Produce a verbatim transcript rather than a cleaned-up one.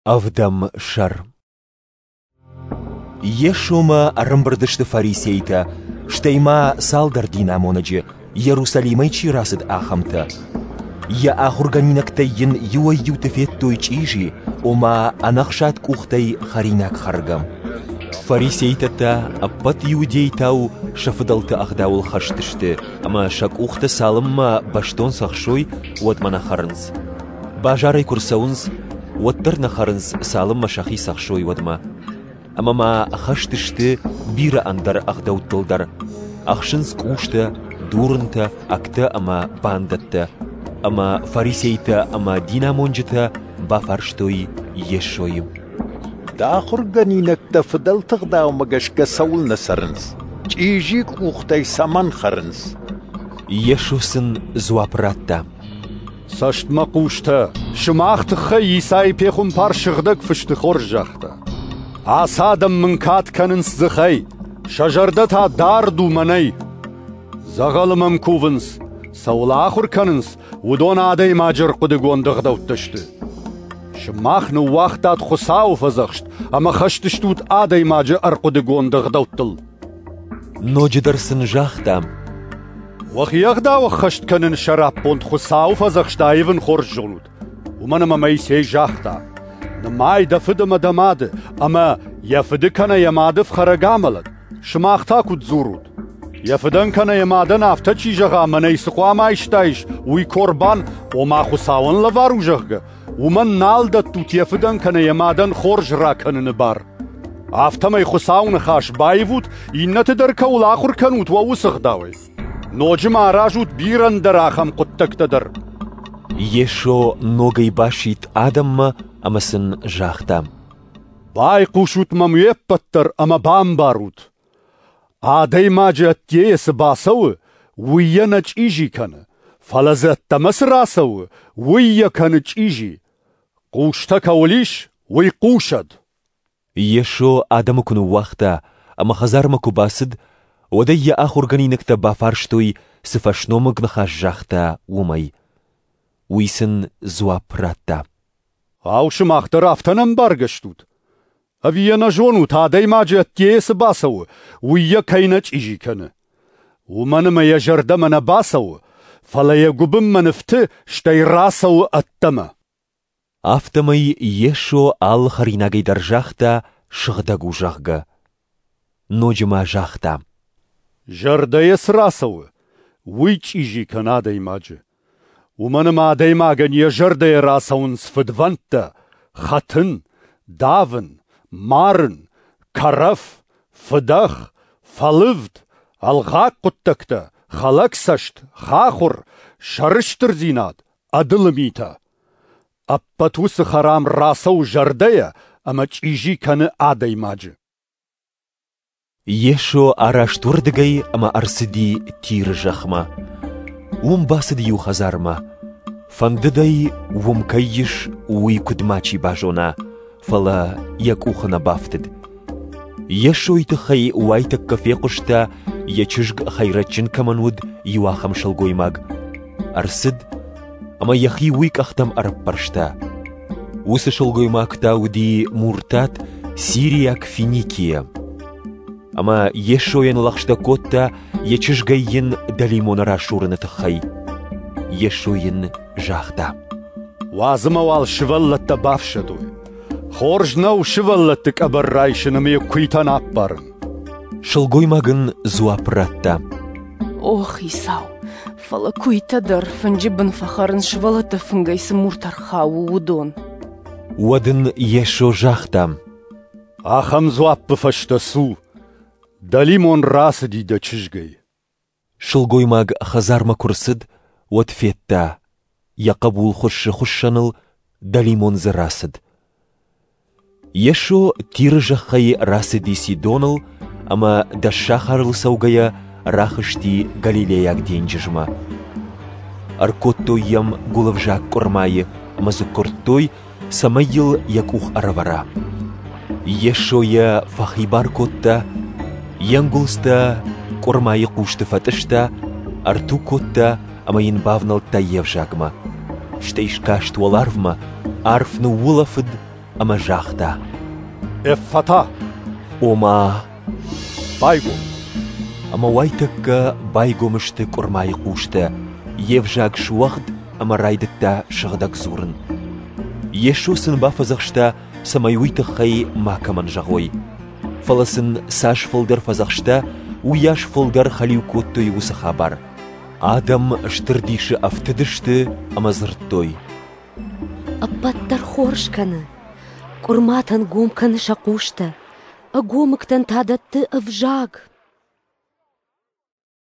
Ӕвдӕм сӕр. Йесомӕ ӕрӕмбырд сты фарисейтӕ, стӕй ма цалдӕр динамонӕджы, Иерусалимӕй чи рацыд, ахӕмтӕ. Йӕ ахуыргӕнинӕгтӕй йын иуӕй-иуты федтой чъизи, ома ӕнӕхсад къухтӕй хӕринаг хӕргӕ. Фарисейтӕ та ӕппӕт иудейтау сӕ фыдӕлты ӕгъдауыл хӕст сты ӕмӕ сӕ къухтӕ цалынмӕ бӕстон цӕхсой, уӕдмӕ нӕ хӕрынц. Базарӕй куы рцӕуынц, уӕддӕр нӕ хӕрынц, цалынмӕ сӕхи цӕхсой, уӕдмӕ. Ӕмӕ ма хӕст сты бирӕ ӕндӕр ӕгъдӕуттыл дӕр. Ӕхсынц къустӕ, дурынтӕ, ӕгтӕ ӕмӕ бандӕттӕ. Ӕмӕ фарисейтӕ ӕмӕ динамонджытӕ бафарстой Йесойы: Дӕ ахуыргӕнинӕгтӕ фыдӕлты ӕгъдаумӕ гӕсгӕ цӕуылнӕ цӕрынц? Чъизи къухтӕй цӕмӕн хӕрынц? Йесо сын дзуапп радта: Цӕстмӕхъустӕ, сымах тыххӕй Исайы пехуымпар сыгъдӕг фысты хорз загъта: Ацы адӕм мын кад кӕнынц дзыхӕй, сӕ зӕрдӕ та дард у мӕнӕй. Дзӕгъӕлы мӕм кувынц, цӕуыл ахуыр кӕнынц, уыдон адӕймаджы ӕрхъуыдыгонд ӕгъдӕуттӕ сты. Сымах ныууагътат Хуыцауы фӕдзӕхст ӕмӕ хӕст стут адӕймаджы ӕрхъуыдыгонд ӕгъдӕуттыл. Ноджыдӕр сын загъта: Уӕхи ӕгъдау ӕххӕст кӕныны сӕраппонд Хуыцауы фӕдзӕхст аивын хорз зонут, уымӕн ӕмӕ Моисей загъта: «Нымай дӕ фыд ӕмӕ дӕ мады, ӕмӕ йӕ фыды кӕнӕ йӕ мады фхӕрӕг амӕлӕд». Сымах та куыд дзурут? Йӕ фыдӕн кӕнӕ йӕ мадӕн афтӕ чи зӕгъа, мӕнӕй цы хъуамӕ айстаис, уый корбан, ома Хуыцауӕн лӕвар у, зӕгъгӕ, уымӕн нал дӕттут йӕ фыдӕн кӕнӕ йӕ мадӕн хорз ракӕныны бар. Афтӕмӕй Хуыцауы ныхас баивут, иннӕты дӕр кӕуыл ахуыр кӕнут, уӕ уыцы ӕгъдауӕй. Ноджы ма аразут бирӕ ӕндӕр ахӕм хъуыддӕгтӕ дӕр. Йесо ногӕй басидт адӕммӕ ӕмӕ сын загъта: Байхъусут мӕм уе ппӕт дӕр ӕмӕ бамбарут. Адӕймаджы ӕддейӕ цы бацӕуы, уый йӕ нӕ чъизи кӕны, фӕлӕ дзы ӕддӕмӕ цы рацӕуы, уый йӕ кӕны чъизи. Хъустӕ кӕуыл ис, уый хъусӕд. Йесо адӕмы куы ныууагъта ӕмӕ хӕдзармӕ куы бацыд, уӕд ӕй йӕ ахуыргӕнинӕгтӕ бафарстой, цы фӕсномыг ныхас загъта, уымӕй. Уый сын дзуапп радта: Ау, сымах дӕр афтӕ не мбаргӕ стут? Ӕви йӕ нӕ зонут, адӕймаджы ӕддейӕ цы бацӕуы, уый йӕ кӕй нӕ чъизи кӕны? Уымӕн ӕмӕ йӕ зӕрдӕмӕ нӕ бацӕуы, фӕлӕ йӕ гуыбынмӕ ныфты, стӕй рацӕуы ӕддӕмӕ. Афтӕмӕй Йесо алы хӕринагӕй дӕр загъта, сыгъдӕг у, зӕгъгӕ. Ноджы ма загъта: Зӕрдӕйӕ цы рацӕуы, уый чъизи кӕны адӕймаджы. Уымӕн ӕмӕ адӕймагӕн йӕ зӕрдӕйӕ рацӕуынц фыдвӕндтӕ, хӕтын, давын, марын, кӕрӕф, фыдӕх, фӕлывд, ӕлгъаг хъуыддӕгтӕ, хӕлӕгцӕст, хахуыр, сӕрыстырдзинад, ӕдылы митӕ. Ӕппӕт уыцы хӕрам рацӕуы зӕрдӕйӕ ӕмӕ чъизи кӕны адӕймаджы. Йесо араст уырдыгӕй ӕмӕ ӕрцыди Тиры зӕхмӕ. Уым бацыд иу хӕдзармӕ. Фӕндыд ӕй, уым кӕй ис, уый куыд мачи базона, фӕлӕ йӕ къухы нӕ бафтыд. Йесойы тыххӕй уайтӕккӕ фехъуыста, йӕ чызг хӕйрӕджджын кӕмӕн уыд, иу ахӕм сылгоймаг. Ӕрцыд ӕмӕ йӕхи уый къӕхтӕм ӕрӕппӕрста. Уыцы сылгоймаг та уыди муртат сириаг Финикийӕ. Ӕмӕ Йесойӕн лӕгъстӕ кодта йӕ чызгӕй йын дӕлимоны расурыны тыххӕй. Йесо йын загъта: Уадз ӕмӕ уал сывӕллӕттӕ бафсӕдой. Хорз нӕу сывӕллӕтты къӕбӕр райсын ӕмӕ йӕ куыйтӕн аппарын. Сылгоймаг ын дзуапп радта: О, Хицау, фӕлӕ куыйтӕ дӕр фынджы бын фӕхӕрынц сывӕллӕтты фынгӕй цы муртӕ рхауы, уыдон. Уӕд ын Йесо загъта: Ахӕм дзуаппы фӕстӕ цу, дӕлимон рацыди дӕ чызгӕй. Сылгоймаг хӕдзармӕ куы рцыд, уӕд федта, йӕ хъӕбул хуыссы хуыссӕныл, дӕлимон дзы рацыд. Йесо Тиры зӕххӕй рацыди Сидоныл ӕмӕ Дӕссахарыл цӕугӕйӕ рахызти Галилейаг денджызмӕ. Ӕркодтой йӕм гуылӕвзаг къуырмайы ӕмӕ дзы куырдтой, цӕмӕй йыл йӕ къух ӕрӕвӕра. Йесо йӕ фӕхибар кодта, йе нгуылдзтӕ къуырмайы хъусты фӕтъыста, ӕрту кодта ӕмӕ йын бавнӕлдта йе взагмӕ. Стӕй скаст уӕларвмӕ, арф ныуулӕфыд ӕмӕ загъта: «Эффата!» Ома «Байгом!» Ӕмӕ уайтӕккӕ байгом сты къуырмайы хъустӕ, йе взаг суӕгъд ӕмӕ райдыдта сыгъдӕг дзурын. Йесо сын бафӕдзӕхста, цӕмӕй уый тыххӕй макӕмӕн зӕгъой. Фӕлӕ сын цас фылдӕр фӕдзӕхста, уыйас фылдӕр хӕлиу кодтой уыцы хабар. Адӕм стыр дисы ӕфтыдысты ӕмӕ дзырдтой: Ӕппӕт дӕр хорз кӕны. Къуырматӕн гом кӕны сӕ хъустӕ, ӕгомыгтӕн та дӕтты ӕвзаг.